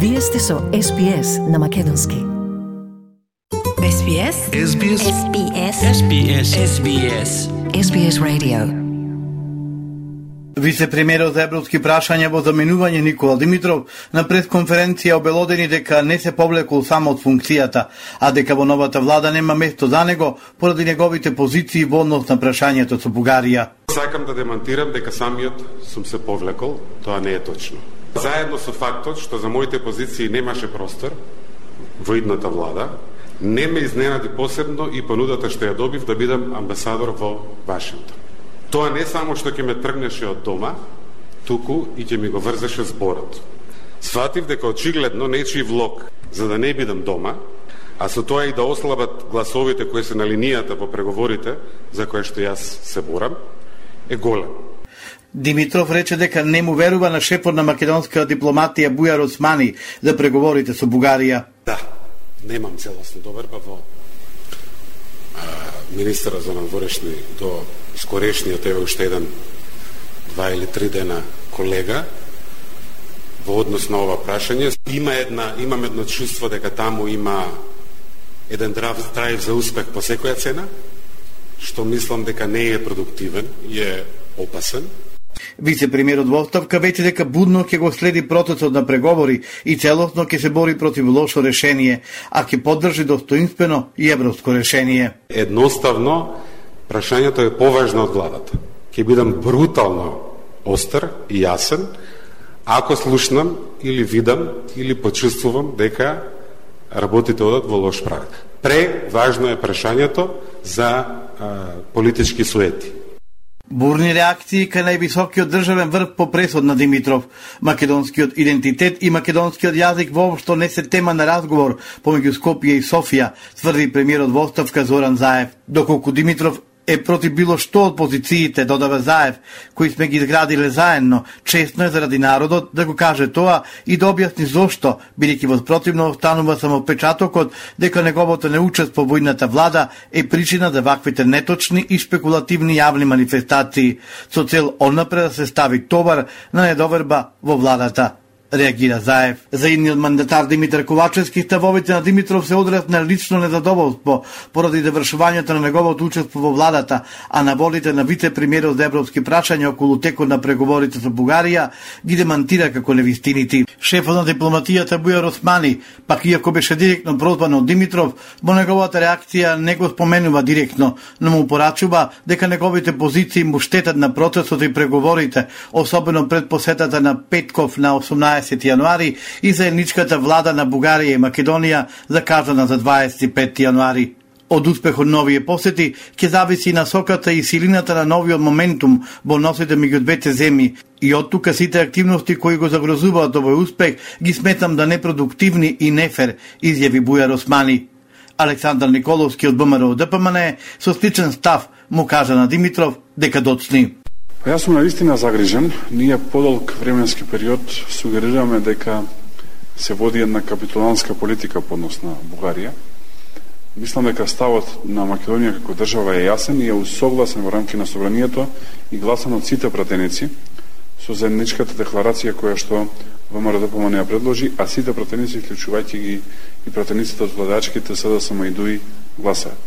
Вие сте со SPS на македонски. SBS SBS SBS SBS SBS SBS Radio. Вице-премиерот за европски прашања во заменување Никола Димитров на пресконференција обелодени дека не се повлекол само од функцијата, а дека во новата влада нема место за него поради неговите позиции во однос на прашањето со Бугарија. Сакам да демантирам дека самиот сум се повлекол, тоа не е точно. Заедно со фактот што за моите позиции немаше простор во идната влада, не ме изненади посебно и понудата што ја добив да бидам амбасадор во Вашингтон. Тоа не само што ќе ме тргнеше од дома, туку и ќе ми го врзеше зборот. Сватив дека очигледно нечи влог за да не бидам дома, а со тоа и да ослабат гласовите кои се на линијата во преговорите за кои што јас се борам, е голем. Димитров рече дека не му верува на шефот на македонска дипломатија Бујар Османи за преговорите со Бугарија. Да, немам целосно доверба во министра за надворешни до скорешниот, еве уште еден 2 или 3 дена колега во однос на ова прашање. Имам едно чувство дека таму има еден драйв за успех по секоја цена, што мислам дека не е продуктивен и е опасен. Вице-премиерот во оставка веќе дека будно ќе го следи процесот на преговори и целосно ќе се бори против лошо решение, а ќе поддржи достоинствено и европско решение. Едноставно, прашањето е поважно од владата. Ќе бидам брутално остар и јасен, ако слушнам или видам или почувствувам дека работите одат во лош правец. Преважно е прашањето за политички суети. Бурни реакции кај највисокиот државен врв по пресод на Димитров. Македонскиот идентитет и македонскиот јазик воопшто не се тема на разговор помеѓу Скопје и Софија, тврди премиерот во оставка Зоран Заев. Доколку Димитров е против било што од позициите, додава Заев, кои сме ги изградиле заедно, честно е заради народот да го каже тоа и да објасни зошто, бидејќи во спротивно останува само впечатокот дека неговото неучество во идната влада е причина за ваквите неточни и шпекулативни јавни манифестации, со цел однапред да се стави товар на недоверба во владата. Реагира Заев. За идниот мандатар Димитар Ковачевски ставовите на Димитров се одраз на лично незадоволство поради завршувањето на неговото учество во владата, а наводите на вице-премиерот за европски прашања околу текот на преговорите со Бугарија ги демантира како невистините. Шефот на дипломатијата Бујар Османи, пак иако беше директно прозван од Димитров, во неговата реакција не го споменува директно, но му порачува дека неговите позиции му штетат на процесот и преговорите, особено пред посетата на Петков на 18 јануари и заедничката влада на Бугарија и Македонија закажана за 25 јануари. Од успехот на овие посети ќе зависи насоката и силината на новиот моментум во односите меѓу двете земји и од тука сите активности кои го загрозуваат овој успех ги сметам да непродуктивни и нефер, изјави Бујар Османи. Александар Николовски од ВМРО ДПМН со сличен став му кажа на Димитров дека доцни. Јас сум навистина загрижен. Ние подолг временски период сугерираме дека се води една капитулантска политика по однос на Бугарија. Мислам дека ставот на Македонија како држава е јасен и е усогласен во рамки на собранието и гласан од сите пратеници со заедничката декларација која што ВМРО ДПМН ја предложи, а сите пратеници, вклучувајќи ги и пратениците од владачките СДСМ и ДУИ, гласаат.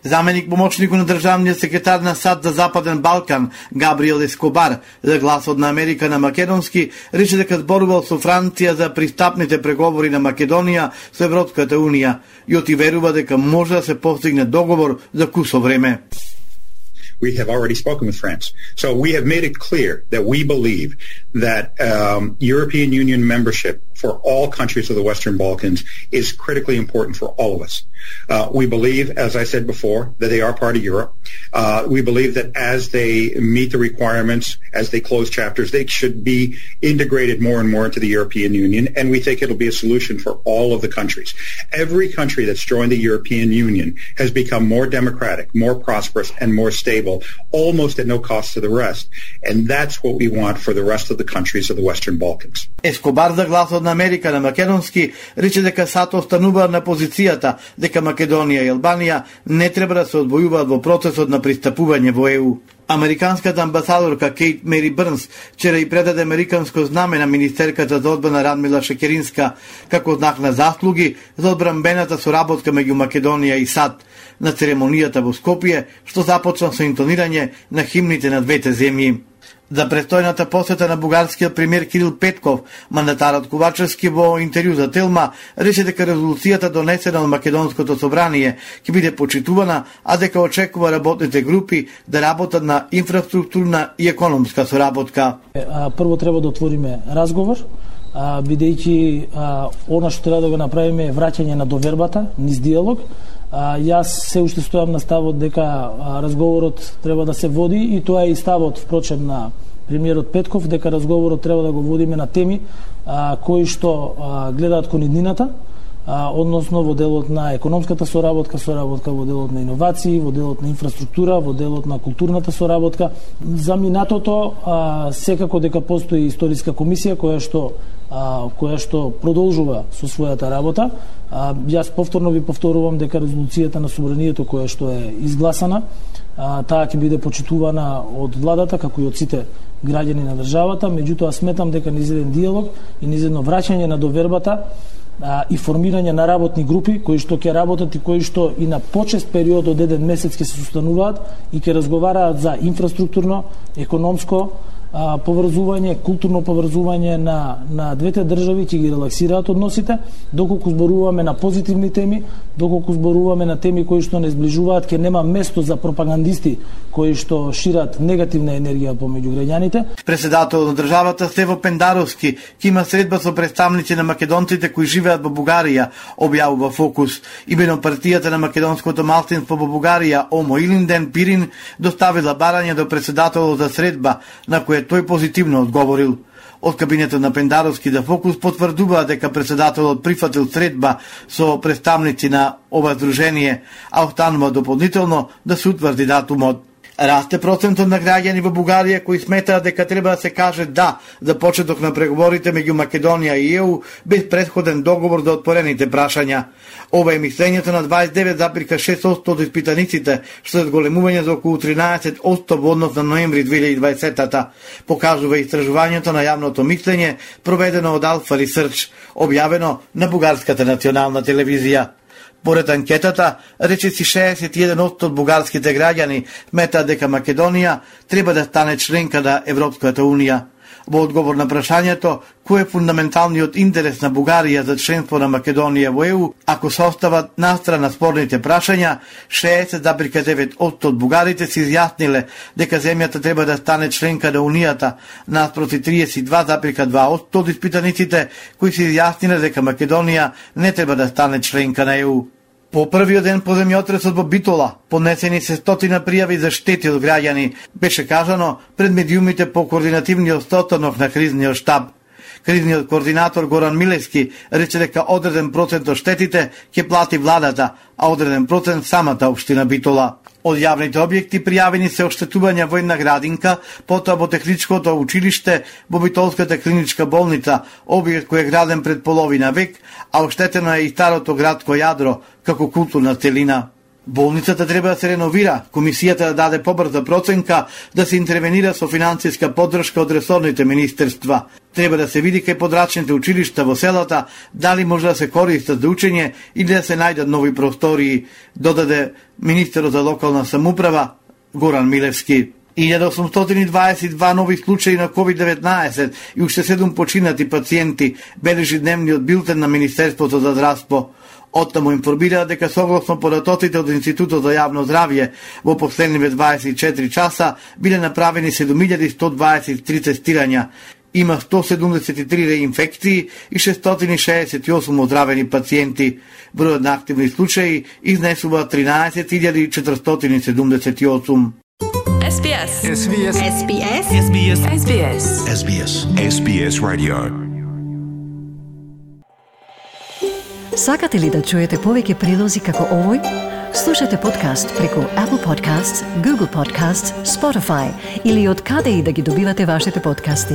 Заменик помошникот на државниот секретар на САД за Западен Балкан, Габриел Ескобар, за гласот на Америка на македонски, рече дека зборувал со Франција за пристапните преговори на Македонија со Европската Унија и отиверува дека може да се постигне договор за кусо време. We have already spoken with France. So we have made it clear that we believe that European Union membership for all countries of the Western Balkans is critically important for all of us. We believe, as I said before, that they are part of Europe. We believe that as they meet the requirements, as they close chapters, they should be integrated more and more into the European Union, and we think it'll be a solution for all of the countries. Every country that's joined the European Union has become more democratic, more prosperous, and more stable, almost at no cost to the rest. And that's what we want for the rest of the countries of the Western Balkans. Ескобар за гласот на Америка на македонски рече дека САД останува на позицијата дека Македонија и Албанија не треба да се одвојуваат во процесот на пристапување во ЕУ. Американската амбасадорка Кейт Мери Брнс вчера и предаде американско знаме на министерката за одбрана Радмила Шекеринска како знак на заслуги за одбранбената соработка меѓу Македонија и САД на церемонијата во Скопје, што започна со интонирање на химните на двете земји. За престојната посета на бугарскиот премиер Кирил Петков, мандатарот Ковачевски во интервју за Телма рече дека резолуцијата донесена од Македонското собрание ќе биде почитувана, а дека очекува работните групи да работат на инфраструктурна и економска соработка. Прво треба да отвориме разговор, бидејќи она што треба да го направиме е враќање на довербата, низ диалог. Јас се уште стојам на ставот дека разговорот треба да се води и тоа е и ставот впрочем на премиерот Петков, дека разговорот треба да го водиме на теми кои што гледаат кон иднината, односно во делот на економската соработка во делот на иновации, во делот на инфраструктура, во делот на културната соработка. За минатото секако дека постои историска комисија која што продолжува со својата работа. Јас повторно ви повторувам дека резолуцијата на собранието која што е изгласана, таа ќе биде почитувана од владата како и од сите граѓани на државата, меѓутоа сметам дека низ еден диалог и низ едно враќање на довербата и формирање на работни групи кои што ќе работат и кои што и на почест период од еден месец ќе се состануваат и ќе разговараат за инфраструктурно, економско поврзување, културно поврзување на двете држави, ќе ги релаксираат односите, доколку зборуваме на позитивни теми, доколку зборуваме на теми кои што не зближуваат, ќе нема место за пропагандисти кои што шират негативна енергија помеѓу граѓаните. Председател на државата Стево Пендаровски ќе има средба со представници на македонците кои живеат во Бугарија, објавува Фокус. Имено партијата на македонското малцинство во Бугарија, Омо Илинден Пирин, доставила барање до председателот за средба, на која тој позитивно одговорил. Од кабинетот на Пендаровски за Фокус потврдува дека председателот прифатил средба со представници на ова здружение, а останува дополнително да се утврди датумот. Расте процентот на граѓани во Бугарија кои сметаат дека треба да се каже да за почеток на преговорите меѓу Македонија и ЕУ без претходен договор за отворените прашања. Ова е мислењето на 29,6% од испитаниците, што е зголемување за околу 13% во однос на ноември 2020-та, покажува истражувањето на јавното мислење проведено од Alpha Research, објавено на бугарската национална телевизија. Поред анкетата, речиси 61% од бугарските граѓани сметаат дека Македонија треба да стане членка на Европската Унија. Во одговор на прашањето кој е фундаменталниот интерес на Бугарија за членство на Македонија во ЕУ, ако се остават настрана спорните прашања, 60,9% од бугарите се изјасниле дека земјата треба да стане членка на Унијата, наспроти 32,2% од испитаниците кои се изјасниле дека Македонија не треба да стане членка на ЕУ. По првиот ден по земјотресот во Битола, поднесени се стотина пријави за штети од граѓани, беше кажано пред медиумите по координативниот состанок на кризниот штаб. Кризниот координатор Горан Милевски рече дека одреден процент од штетите ќе плати владата, а одреден процент самата општина Битола. Од јавните објекти пријавени се оштетувања во една градинка, потоа во техничкото училиште, во Битолската клиничка болница, објект кој е граден пред половина век, а оштетено е и старото градско јадро, како културна целина. Болницата треба да се реновира, комисијата да даде побрза проценка, да се интервенира со финансиска поддршка од ресорните министерства. Треба да се види кај подрачните училишта во селата дали може да се користат за учење или да се најдат нови простории, додаде министерот за локална самоуправа Горан Милевски. 1822 нови случаи на COVID-19 и уште 7 починати пациенти бележи дневниот билтен на Министерството за здравство. Оттаму информира дека согласно податоците од Институтот за јавно здравје во последниве 24 часа биле направени 7123 тестирања. Има 173 реинфекции и 668 оздравени пациенти. Бројот на активни случаи изнесува 13.478. SBS. SBS. SBS. SBS. SBS. SBS. SBS Radio. Сакате ли да чуете повеќе прилози како овој? Слушате подкаст преку Apple Podcasts, Google Podcasts, Spotify или од каде и да ги добивате вашите подкасти.